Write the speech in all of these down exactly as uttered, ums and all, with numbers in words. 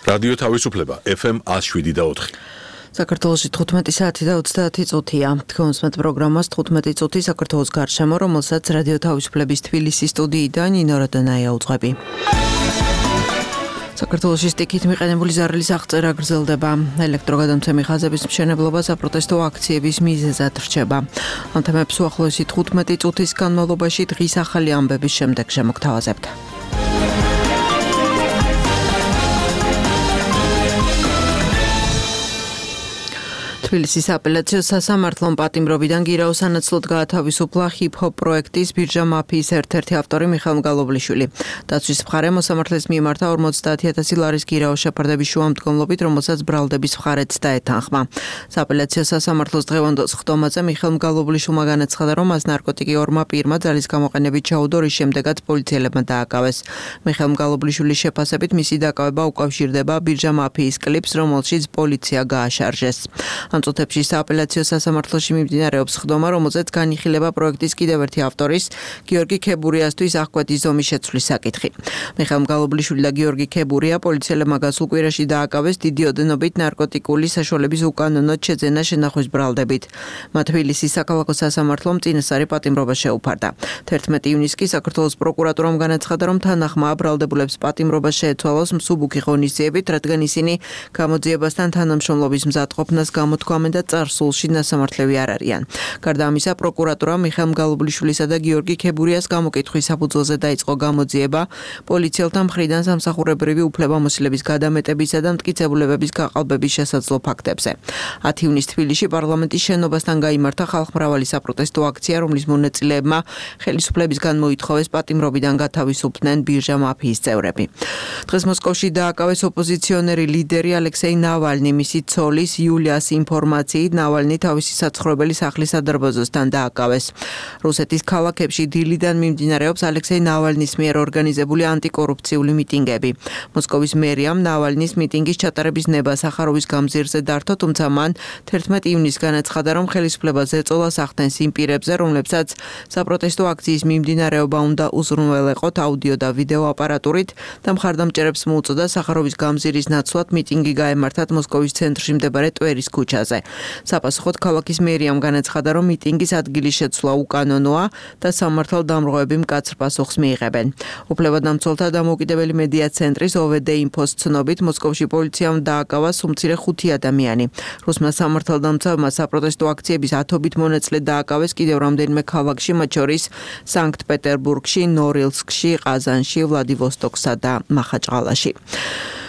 რადიო თავისუფლება ეფ ემ one oh seven და four. საქართველოში თხუთმეტი საათი და ოცდაათი წუთია. თქვენს პროგრამას თხუთმეტი წუთი საქართველოს გარშემო, რომელსაც რადიო თავისუფლების თბილისის სტუდიიდან ნინო როდონაია უძღვები. საქართველოში სტიქით მიყენებული ზარელის აღწერა გრძელდება. ელექტროგადამცემი ხაზების მშენებლობა საპროტესტო აქციების მიზეზად რჩება. ამ თემებს უახლოესი თხუთმეტი წუთის განმავლობაში დღის ახალი ამბების შემდეგ შემოგთავაზებთ. თბილისის აპელაციო სასამართლომ პატიმრობიდან გირაოს სანაცვლოდ გაათავისუფლა ჰიპ-ჰოპ პროექტის ბირჟა მაფიის ერთ-ერთი ავტორი მიხეილ მგალობლიშვილი. დაცვის მხარე მოსამართლეს მიემართა ორმოცდაათი ათასი ლარის გირაოს შეფარდების შუამდგომლობით, რომელსაც ბრალდების მხარეც დაეთანხმა. საპელაციო სასამართლოს დღევანდელ სხდომაზე მიხეილ მგალობლიშვილმა განაცხადა, რომ მას ნარკოტიკი ორმა პირმა ძალის გამოყენებით ჩაუდო, რის შემდეგაც პოლიციელებმა დააკავეს. მიხეილ მგალობლიშვილის შეფასებით მისი დაკავება უკავშირდება ბირჟა მაფიის კლიპს, რომელშიც პოლიცია გააშარჟეს. ამ წუთებში სააპელაციო სასამართლოში მიმდინარეობს სხდომა, რომელზეც განიხილება პროექტის კიდევ ერთი ავტორის, გიორგი ქებურიასთვის აღკვეთის ზომის შეცვლის საკითხი. მიხეილ მგალობლიშვილი და გიორგი ქებურია პოლიციელებმა გასულ კვირაში დააკავეს დიდი ოდენობით ნარკოტიკული საშუალების უკანონოდ შეძენა შენახვის ბრალდებით. მათ თბილისის საქალაქო სასამართლომ წინასწარი პატიმრობა შეუფარდა. თერთმეტი ივნისს კი საქართველოს პროკურატურამ განაცხადა, რომ თანახმა ბრალდებულებს პატიმრობა შეეცვალოს მსუბუქი ღონისძიებით, რადგან ისინი გამოძიებასთან თანამშრომლობის მზადყოფნას გამოთქვამენ და წარსულში ნასამართლევი არ არიან. გარდა ამისა, პროკურატურამ მიხეილ მგალობლიშვილისა და გიორგი ქებურიას გამოკითხვის საფუძველზე დაიწყო გამოძიება პოლიციელთა მხრიდან სამსახურებრივი უფლებამოსილების გადამეტებისა და მტკიცებულებების გაყალბების შესაძლო ფაქტებზე. ათი ივნისს თბილისში პარლამენტის შენობასთან გაიმართა ხალხმრავალი საპროტესტო აქცია, რომლის მონაწილეებმა ხელისუფლებისგან მოითხოვეს პატიმრობიდან გათავისუფლდნენ ბირჟა მაფიის წევრები. დღეს მოსკოვში დააკავეს ოპოზიციონერი ლიდერი ალექსეი ნავალნი, მისი ცოლის იულიას ინფორმაციით ნავალნი თავისი საცხოვრებელი სახლის სადარბაზოსთან დააკავეს. რუსეთის ქალაქებში დილიდან მიმდინარეობს ალექსეი ნავალნის მიერ ორგანიზებული ანტიკორუფციული მიტინგები. მოსკოვის მერიამ ნავალნის მიტინგის ჩატარების ნება სახაროვის გამზირზე დართო, თუმცა მან თერთმეტი ივნისს განაცხადა, რომ ხელისუფლებას ეწოლა ახდენს იმ პირებზე, რომლებსაც საპროტესტო აქციის მიმდინარეობა უნდა უზრუნველეყოთ აუდიო და ვიდეო აპარატურით და მხარდამჭერებს მოუწოდა სახაროვის გამზირის ნაცვლად მიტინგი გაემართათ მოსკოვის ცენტრში მდებარე ტვერის ქუჩაზე. საპასუხოდ ქალაქის მერიამ განაცხადა, რომ მიტინგის ადგილის შეცვლა უკანონოა და სამართალდამრღვევები მკაცრ პასუხს მიიღებენ. უფლებადამცველთა დამოუკიდებელი მედია ცენტრის ო ვე დე ინფოს ცნობით, მოსკოვში პოლიციამ დააკავა უმცირე ხუთი ადამიანი. რუსმა სამართალდამცავმა საპროტესტო აქციების ათობით მონაწილე დააკავეს კიდევ რამდენიმე ქალაქში, მათ შორის სანქტ-პეტერბურგში, ნორილსკში, ყაზანში, ვლადივოსტოკსა და მახაჭყალაში.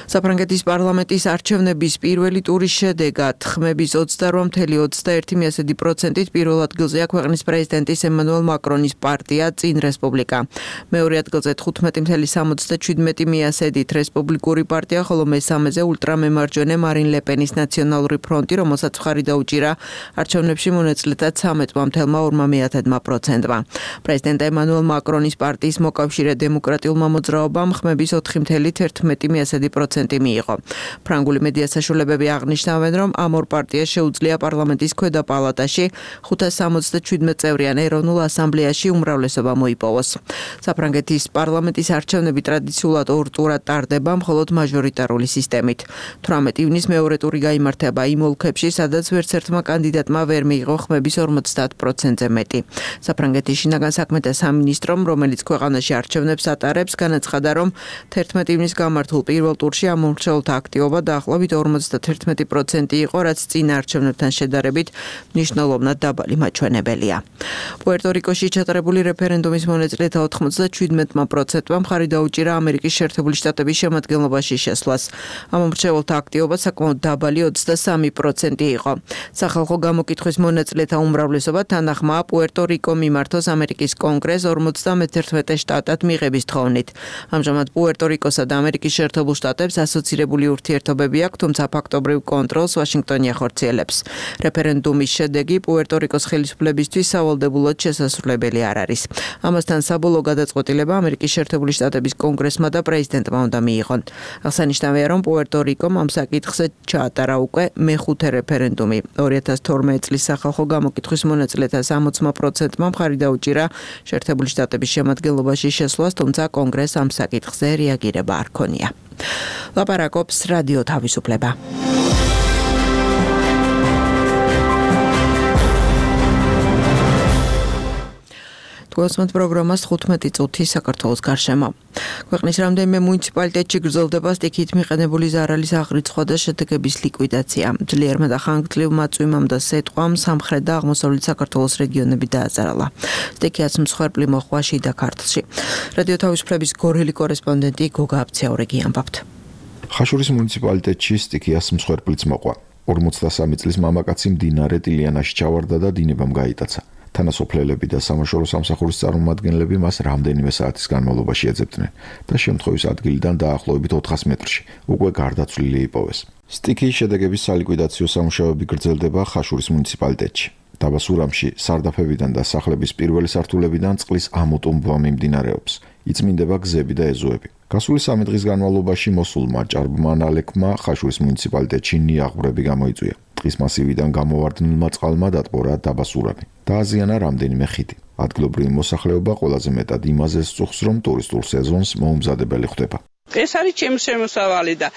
საფრანგეთის პარლამენტის არჩევნების პირველი ტურის შედეგად ხმების ოცდაორი целых ოცდაერთი პროცენტით პირველ ადგილზეა ქვეყნის პრეზიდენტის ემანუელ მაკრონის პარტია წინ რესპუბლიკა. მეორე ადგილზე თხუთმეტი целых სამოცდაშვიდ პროცენტით რესპუბლიკური პარტია, ხოლო მესამეზე ულტრამემარჯვენე მარინ ლეპენის ნაციონალური ფრონტი, რომელსაც მხარი დაუჭირა არჩევნებში მონაწილეთა ცამეტ целых ორი პროცენტმა. პრეზიდენტ ემანუელ მაკრონის პარტიის მოკავშირე დემოკრატიულმა მოძრაობამ ხმების ოთხი целых ერთმეტი პროცენტი მიიღო. ფრანგული მედია საშუალებები აღნიშნავენ, რომ ამ ორ პარტიას შეუძლია პარლამენტის ქვედა პალატაში ხუთას სამოცდაშვიდ წევრიან ეროვნულ ასამბლეაში უმრავლესობა მოიპოვოს. საფრანგეთის პარლამენტის არჩევნები ტრადიციულად ორ ტურად ტარდება, მხოლოდ მაჟორიტარული სისტემით. თვრამეტი ივნისს მეორე ტური გაიმართება იმ ოლქებში, სადაც ვერც ერთმა კანდიდატმა ვერ მიიღო ხმების ორმოცდაათ პროცენტზე მეტი. საფრანგეთის შინაგან საქმეთა სამინისტრომ, რომელიც ქვეყანაში არჩევნებს ატარებს, განაცხადა, რომ თერთმეტი ივნისს გამართულ პირველ ტურში ამომრჩეველთა აქტივობა დაახლოებით ორმოცდაათი პროცენტი იყო, რაც წინა არჩევნებთან შედარებით მნიშვნელოვნად დაბალი მაჩვენებელია. პუერტო-რიკოში ჩატარებული რეფერენდუმის მონაწილეთა ოთხმოცდაშვიდ პროცენტმა მხარი დაუჭირა ამერიკის შეერთებული შტატების შემადგენლობაში შესვლას. ამომრჩეველთა აქტივობა საკმაოდ დაბალი ოცდასამი პროცენტი იყო. სახალხო გამოკითხვის მონაწილეთა უმრავლესობა თანახმაა პუერტო-რიკო მიმართოს ამერიკის კონგრესს ორმოცდამეერთე შტატად მიღების თხოვნით. ამჟამად პუერტო-რიკოსა და ამერიკის შეერთებულ შტატებს ასოცირებული ურთიერთობები აქვს, თუმცა ფაქტობრივ კონტროლს ვაშინგტონი ახორციელებს. რეფერენდუმის შედეგი პუერტო-რიკოს ხელისუფლებისთვის სავალდებულოდ შესასრულებელი არ არის. ამასთან საბოლოო გადაწყვეტილება ამერიკის შეერთებული შტატების კონგრესმა და პრეზიდენტმა უნდა მიიღონ. აღსანიშნავია, რომ პუერტო-რიკომ ამ საკითხზე ჩაატარა უკვე მეხუთე რეფერენდუმი. ორი ათას თორმეტი წლის სახალხო გამოკითხვის მონაწილეთა სამოცდა პროცენტმა მხარი დაუჭირა შეერთებული შტატების შემადგენლობაში შესვლას, თუმცა კონგრესს ამ საკითხზე რეაგირება არ ქონია. ლაპარაკობს რადიო თავისუფლება. გოსმენთ პროგრამას თხუთმეტი წუთი საქართველოს გარშემო. ქვეყნის რამდენიმე მუნიციპალიტეტში გრძელდება სტიქით მიყენებული ზარალის აღრიცხვა და შედეგების ლიკვიდაცია. ძლიერმა და ხანგრძლივმა წვიმამ და სეტყვამ სამხრეთ და აღმოსავლეთ საქართველოს რეგიონები დააზარალა. სტიქიაც მსხვერპლი მოხდა შიდა ქართლში. რადიო თავისუფლების გორელი კორესპონდენტი გოგა აბციაურიგი ამბობთ. ხაშურის მუნიციპალიტეტში სტიქიას მსხვერპლიც მოყვა. ორმოცდასამი წლის მამაკაცი მდინარე ტილიანაში ჩავარდა და დინებამ გაიტაცა. თანასოფლელები და სამაშორო სამსახურის წარმომადგენლები მას რამდენიმე საათის განმავლობაში ეძებდნენ და შემთხვევის ადგილიდან დაახლოებით ოთხას მეტრში უკვე გარდაცვლილი იპოვეს. სტიქიის შედეგების სალიკვიდაციო სამუშაოები გრძელდება ხაშურის მუნიციპალიტეტში. დაბა სურამში სარდაფებიდან და სახლების პირველი სართულებიდან წყლის ამოტუმბვა მიმდინარეობს. იწმინდება გზები და ეზოები. გასული სამი დღის განმავლობაში მოსულმა ჭარბმა ნალექმა ხაშურის მუნიციპალიტეტში ნიაღვრები გამოიწვია. ტყის მასივიდან გამოვარდნილმა წყალმა დატბორა დაბა სურამი. დააზიანა რამდენიმე ხიდი. ადგილობრივი მოსახლეობა ყველაზე მეტად იმაზე სწუხს, რომ ტურისტულ სეზონს მოუმზადებელი ხდება. ეს არის ჩემი შემოსავალი და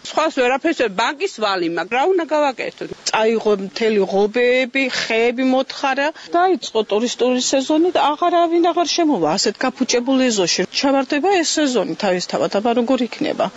სხვას ვერაფერს ბანკის ვალი, მაგრამ რა უნდა გავაკეთოთ? წაიღო მთელი ღობეები, ხეები მოთხარა, დაიწყო ტურისტული სეზონი და აღარავინ აღარ შემოვა ასეთ გაფუჭებულ ეზოში. ჩავარდება ეს სეზონი თავისთავად, აბა როგორ იქნება?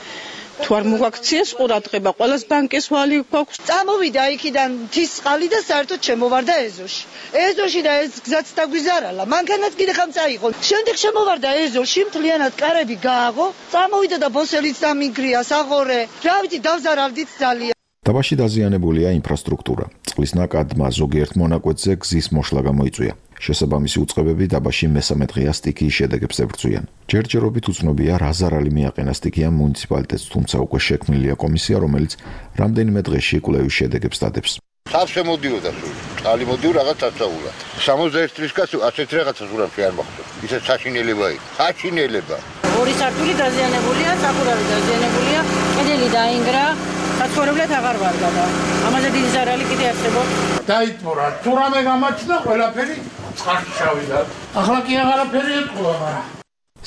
თუ არ მოგაქციეს ყურადღება, ყველას ბანკის ვალი გვაქვს. წამოვიდა იქიდან მთის წყალი და საერთოდ შემოვარდა ეზოში. ეზოში და ეს გზაც დაგვიზარალა. მანქანაც კიდე ხამ წაიღო. შემდეგ შემოვარდა ეზოში, მთლიანად კარები გააღო, წამოვიდა და ბოსელიც დამიგრია, საღორე. რა ვიცი, დავზარავდით ძალიან. დაბაში დაზიანებულია ინფრასტრუქტურა. წყლის ნაკადმა ზოგიერთ მონაკვეთზე გზის მოშლა გამოიწვია. შესაბამისი უწყებები დაბაში მესამე დღეა სტიქიის შედეგებს ებრძვიან. ჯერჯერობით უცნობია რა ზარალი მიაყენა სტიქიამ მუნიციპალიტეტს, თუმცა უკვე შექმნილია კომისია, რომელიც რამდენიმე დღეში კვლევის შედეგებს დადებს. სავსე მოდიოდა სულ. წყალი მოდიო რაღაც აცაულა. სამოცდაერთი წლის კაცი ასეთ რაღაცას ურამში არ მოხდა. ისე საშინელება იქ. საშინელება. ორი სართული დაზიანებულია, სახურავი დაზიანებულია, კედელი დაინგრა, საცხოვრებლად აღარ ვარგა და ამაზე დიდი ზარალი კიდე არსებობს. დაიტბორა, თუ რამე გამაჩნდა ყველაფერი წყალში შავიდა. ახლა კი აღარაფერი ეთქვა, მაგრამ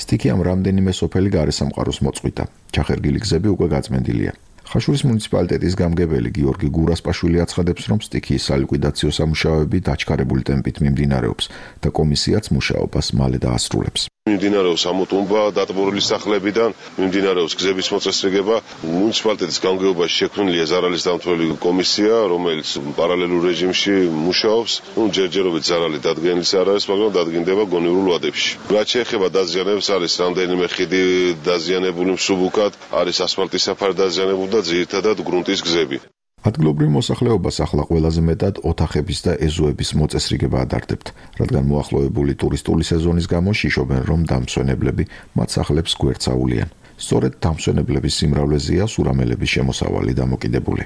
სტიქიამ რამდენიმე სოფელი გარესამყაროს მოწყვიტა. ჩახერგილი გზები უკვე გაწმენდილია. ხაშურის მუნიციპალიტეტის გამგებელი გიორგი გურასპაშვილი აცხადებს, რომ სტიქიის სალიკვიდაციო სამუშაოები დაჩქარებული ტემპით მიმდინარეობს და კომისიაც მუშაობას მალე დაასრულებს. მიმდინარეობს ამოტუმბვა დატბორილი სახლებიდან, მიმდინარეობს გზების მოწესრიგება. მუნიციპალიტეტის გამგეობაში შექმნილია ზარალის დამცველი კომისია, რომელიც პარალელურ რეჟიმში მუშაობს. ნუ ჯერჯერობით ზარალი დადგენილი არ არის, მაგრამ დადგინდება გონივრულ ვადებში. რაც შეეხება დაზიანებებს, არის რამდენიმე ხიდი დაზიანებული მსუბუქად, არის ასფალტის საფარი დაზიანებული და ძირითადად გრუნტის გზები. ადგილობრივ მოსახლეობას ახლა ყველაზე მეტად ოთახების და ეზოების მოწესრიგება ადარდებთ, რადგან მოახლოებული ტურისტული სეზონის გამო შიშობენ, რომ დამსვენებლები მათ სახლებს გვერდსაულიან. სწორედ დამსვენებლების სიმრავლეზეა სურამელების შემოსავალი დამოკიდებული.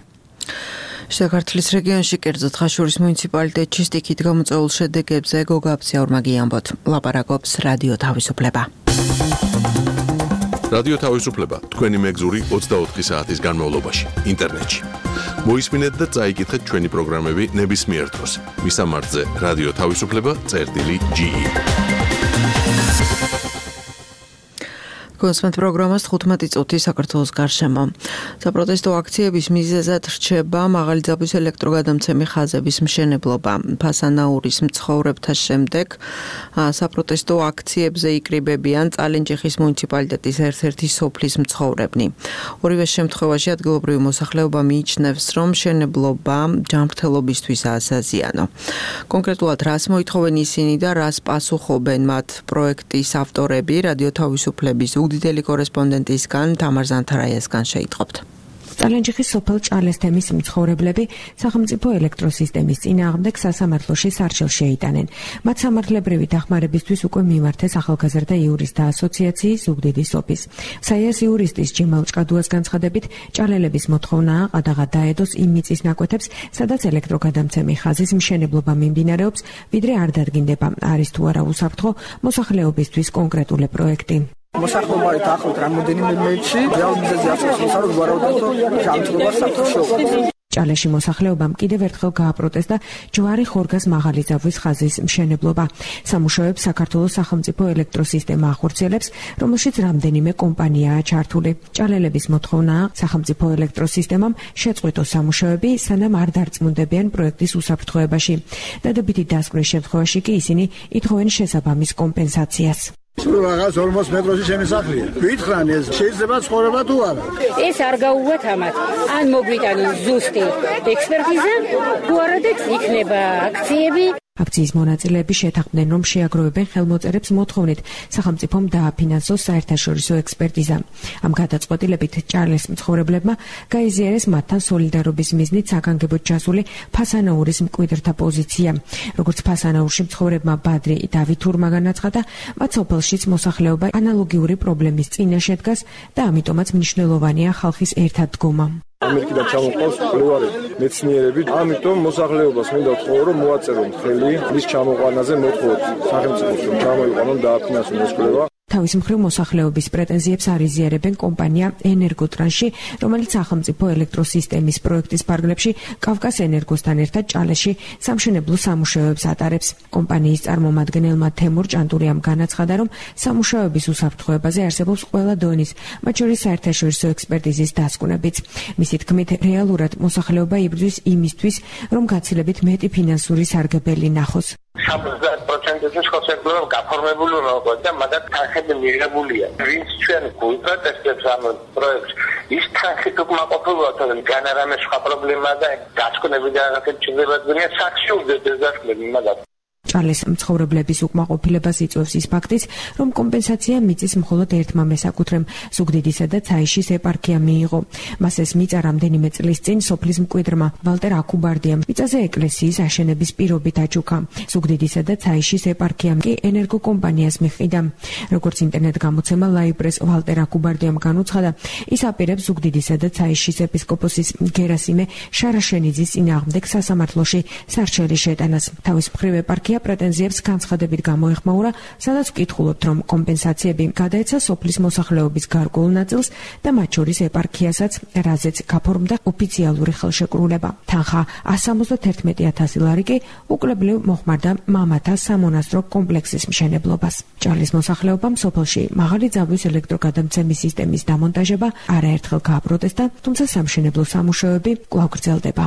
საქართველოს რეგიონში კერძოდ ხაშურის მუნიციპალიტეტში სტიქით გამოწვეულ შედეგებზე გოგა აბციაურიგი ამბობთ. ლაპარაკობს რადიო თავისუფლება. რადიო თავისუფლება თქვენი მეგზური ოცდაოთხი საათის განმავლობაში ინტერნეტში. მოისმინეთ და წაიკითხეთ ჩვენი პროგრამები ნებისმიერ დროს. მისამართზე რადიო თავისუფლება წერტილი ჯი. გოსმენთ პროგრამას თხუთმეტი წუთი საქართველოს გარშემო. საპროტესტო აქციების მიზეზად რჩება მაღალი ძაბვის ელექტროგადამცემი ხაზების მშენებლობა. ფასანაურის მცხოვრებთა შემდეგ საპროტესტო აქციებზე იკრიბებიან წალენჯიხის მუნიციპალიტეტის ერთ-ერთი სოფლის მცხოვრებნი. ორივე შემთხვევაში ადგილობრივი მოსახლეობა მიიჩნევს, რომ მშენებლობა ჯანმრთელობისთვისაა საზიანო. კონკრეტულად რას მოითხოვენ ისინი და რას პასუხობენ მათ პროექტის ავტორები, რადიო თავისუფლების უდიდელი კორესპონდენტისგან თამარ ზანთარაიასგან შეიტყობთ. წალენჯიხის სოფელ ჭალესთემის მცხოვრებლები სახელმწიფო ელექტროსისტემის წინააღმდეგ სასამართლოში სარჩელს შეიტანენ. მათ სამართლებრივი დახმარებისთვის უკვე მიმართეს ახალგაზრდა იურისტთა ასოციაციის ზუგდიდი სოფის. საიას იურისტის ჯიმალ ჭკადუას განცხადებით, ჭალელების მოთხოვნაა ყადაღად დაედოს იმ მიწის ნაკვეთებს, სადაც ელექტროგადამცემი ხაზის მშენებლობა მიმდინარეობს, ვიდრე არ დადგინდება, არის თუ არა უსაფრთხო მოსახლეობისთვის კონკრეტული პროექტი. მოსახლეობა ახლავთ რამოდენიმე მეტრში, რეალ მიზეზი არსებობს, რომ ვარაუდობთ, რომ ჯანმრთელობა საფრთხეში. ჭალეში მოსახლეობამ კიდევ ერთხელ გააპროტესტა ჯვარი ხორგას მაღალი ძაბვის ხაზის მშენებლობა. სამუშაოებს საქართველოს სახელმწიფო ელექტროსისტემა ახორციელებს, რომელშიც რამდენიმე კომპანიაა ჩართული. ჭალელების მოთხოვნაა სახელმწიფო ელექტროსისტემამ შეწყვიტოს სამუშაოები, სანამ არ დარწმუნდებიან პროექტის უსაფრთხოებაში. დადებითი დასკვნის შემთხვევაში კი ისინი ითხოვენ შესაბამის კომპენსაციას. სულ რაღაც ორმოც მეტროში შემოსახლია. გითხრან ეს შეიძლება ცხოვრება თუ არა? ეს არ გაუვათ ამათ. ან მოგვიტანონ ზუსტი ექსპერტიზა, თუ არა და იქნება აქციები. აქციის მონაწილეები შეთანხმდნენ, რომ შეაგროვებენ ხელმოწერებს მოთხოვნით სახელმწიფომ დააფინანსოს საერთაშორისო ექსპერტიზა. ამ გადაწყვეტილებით ჭალეს მცხოვრებლებმა გაიზიარეს მათთან სოლიდარობის მიზნით საგანგებოდ ჩასული ფასანაურის მკვიდრთა პოზიცია. როგორც ფასანაურში მცხოვრებმა ბადრი დავითურმა განაცხადა, მათ სოფელშიც მოსახლეობა ანალოგიური პრობლემის წინაშე დგას და ამიტომაც მნიშვნელოვანია ხალხის ერთადდგომა. ამერიკიდან ჩამოყავს მკვლევარები, მეცნიერები, ამიტომ მოსახლეობას მინდა ვთხოვო, რომ მოაწერონ ხელი მის ჩამოყვანაზე მოთხოვოთ სახელმწიფოს, რომ ჩამოიყვანონ დააფინანსონ ეს კვლევა. თავის მხრივ მოსახლეობის პრეტენზიებს არ იზიარებენ კომპანია ენერგოტრანსში, რომელიც სახელმწიფო ელექტროსისტემის პროექტის ფარგლებში კავკას ენერგოსთან ერთად ჭალეში სამშენებლო სამუშაოებს ატარებს. კომპანიის წარმომადგენელმა თემურ ჭანტურიამ განაცხადა, რომ სამუშაოების უსაფრთხოებაზე არსებობს ყველა დონის, მათ შორის საერთაშორისო ექსპერტიზის დასკვნებიც. მისი თქმით, რეალურად მოსახლეობა იბრძვის იმისთვის, რომ გაცილებით მეტი ფინანსური სარგებელი ნახოს. ოცდაათ პროცენტზე ხელშეკრულება გაფორმებული უნდა იყოს და მაგათ თანხები მიღებულია. ვინც ჩვენ გულწრფელებს ამ პროექტს, ის თანხით უკმაყოფილოა, თორემ განარამე სხვა პრობლემა და დასკვნები და რაღაცები ჩნდება ძნელია საქმე უძდეს დასკვნები მაგათ. ჭალეს მცხოვრებლების უკმაყოფილებას იწვევს ის ფაქტიც, რომ კომპენსაცია მიწის მხოლოდ ერთმა მესაკუთრემ ზუგდიდისა და ცაიშის ეპარქია მიიღო. მას ეს მიწა რამდენიმე წლის წინ სოფლის მკვიდრმა ვალტერ აკუბარდიამ მიწაზე ეკლესიის აშენების პირობით აჩუქა. ზუგდიდისა და ცაიშის ეპარქიამ კი ენერგოკომპანიას მიჰყიდა. როგორც ინტერნეტ გამოცემა ლაიბრეს ვალტერ აკუბარდიამ განუცხადა, ის აპირებს ზუგდიდისა და ცაიშის ეპისკოპოსის გერასიმე შარაშენიძის წინააღმდეგ სასამართლოში სარჩელის შეტანას. თავის მხრივ ეპარქია პრეტენზიებს განცხადებით გამოეხმაურა, სადაც ვკითხულობთ, რომ კომპენსაციები გადაეცა სოფლის მოსახლეობის გარკვეულ ნაწილს და მათ შორის ეპარქიასაც, რაზეც გაფორმდა ოფიციალური ხელშეკრულება. თანხა εκατს სამოცდაერთმეტი ათასი ლარი კი უკვლებლივ მოხმარდა მამათა სამონასტრო კომპლექსის მშენებლობას. ჭალის მოსახლეობამ სოფელში მაღალი ძაბვის ელექტროგადამცემის სისტემის დამონტაჟება არაერთხელ გააპროტესტა, თუმცა სამშენებლო სამუშაოები კვლავ გრძელდება.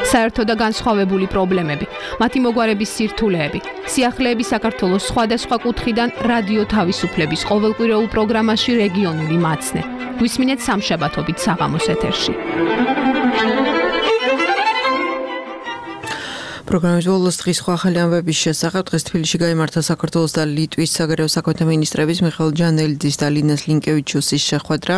საერთო და განსხვავებული პრობლემები, მათი მოგვარების სირთულეები, სიახლეები საქართველოს სხვადასხვა კუთხიდან რადიო თავისუფლების ყოველკვირეულ პროგრამაში რეგიონული მაცნე. გვისმინეთ სამშაბათობით საღამოს ეთერში. პროგრამის ბოლოს დღის სხვა ახალი ამბების შესახებ დღეს თბილისში გაიმართა საქართველოს და ლიტვის საგარეო საქმეთა მინისტრების მიხეილ ჯანელიძის და ლინას ლინკევიჩუსის შეხვედრა.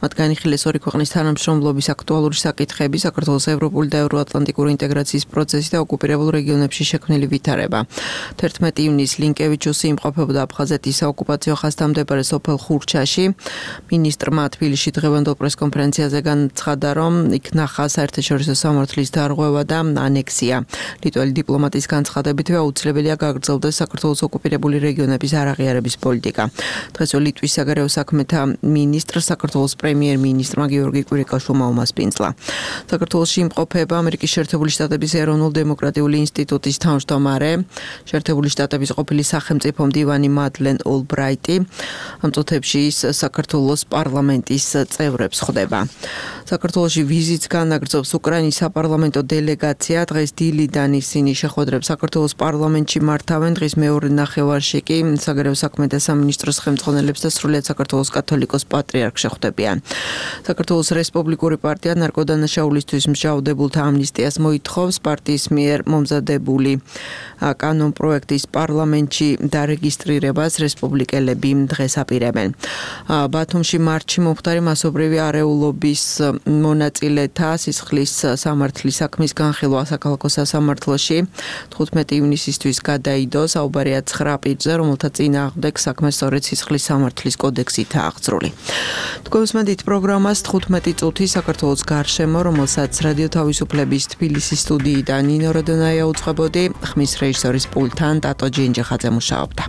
მათ განიხილეს ორი ქვეყნის თანამშრომლობის აქტუალური საკითხები, საქართველოს ევროპული და ევროატლანტიკური ინტეგრაციის პროცესი და ოკუპირებულ რეგიონებში შექმნილი ვითარება. თერთმეტი ივნისს ლინკევიჩუსი იმყოფებოდა აფხაზეთის საოკუპაციო ხაზთან მდებარე სოფელ ხურჩაში. მინისტრმა თბილისში დღევანდელ პრესკონფერენციაზე განაცხადა, რომ იქ ნახა საერთაშორისო სამართლის დარღვევა და ანექსია. ლიტველი დიპლომატის განცხადებითვე აუცილებელია გაგრძელდეს საქართველოს ოკუპირებული რეგიონების არაღიარების პოლიტიკა. დღესვე ლიტვის საგარეო საქმეთა მინისტრ საქართველოს პრემიერ-მინისტრმა გიორგი კვირიკაშვილმა უმასპინძლა. საქართველოში იმყოფება ამერიკის შეერთებული შტატების ეროვნულ-დემოკრატიული ინსტიტუტის თავმჯდომარე, შეერთებული შტატების ყოფილი სახელმწიფო მდივანი მადლენ ოლბრაიტი. ამ წუთებში ის საქართველოს პარლამენტის წევრებს ხვდება. საქართველოში ვიზიტს განაგრძობს უკრაინის საპარლამენტო დელეგაცია. დღეს დილიდან ისინი შეხვედრებს საქართველოს პარლამენტში მართავენ. დღის მეორე ნახევარში კი საგარეო საქმეთა სამინისტროს ხელმძღვანელებს და სრულიად საქართველოს კათოლიკოს პატრიარქს შეხვდებიან. საქართველოს რესპუბლიკური პარტია ნარკოდანაშაულისთვის მსჯავრდებულთა ამნისტიას მოითხოვს. პარტიის მიერ მომზადებული კანონპროექტის პარლამენტში დარეგისტრირებას რესპუბლიკელები დღეს აპირებენ. ბათუმში მარტში მომხდარი მასობრივი არეულობის მონაწილეთა სისხლის სამართლის საქმის განხილვა საქალაქო სასამართლოში თხუთმეტი ივნისისთვის გადაიდო. საუბარია ცხრა პირზე, რომელთა წინააღმდეგ საქმე სწორედ სისხლის სამართლის კოდექსითაა აღძრული. თქვენსმენთ პროგრამას თხუთმეტი წუთი საქართველოს გარშემო, რომელსაც რადიო თავისუფლების თბილისის სტუდიიდან ნინო როდონაია უწყებოდი, ხმის რეჟისორის პულტთან ტატო ჯინჯიხაძე მუშაობდა.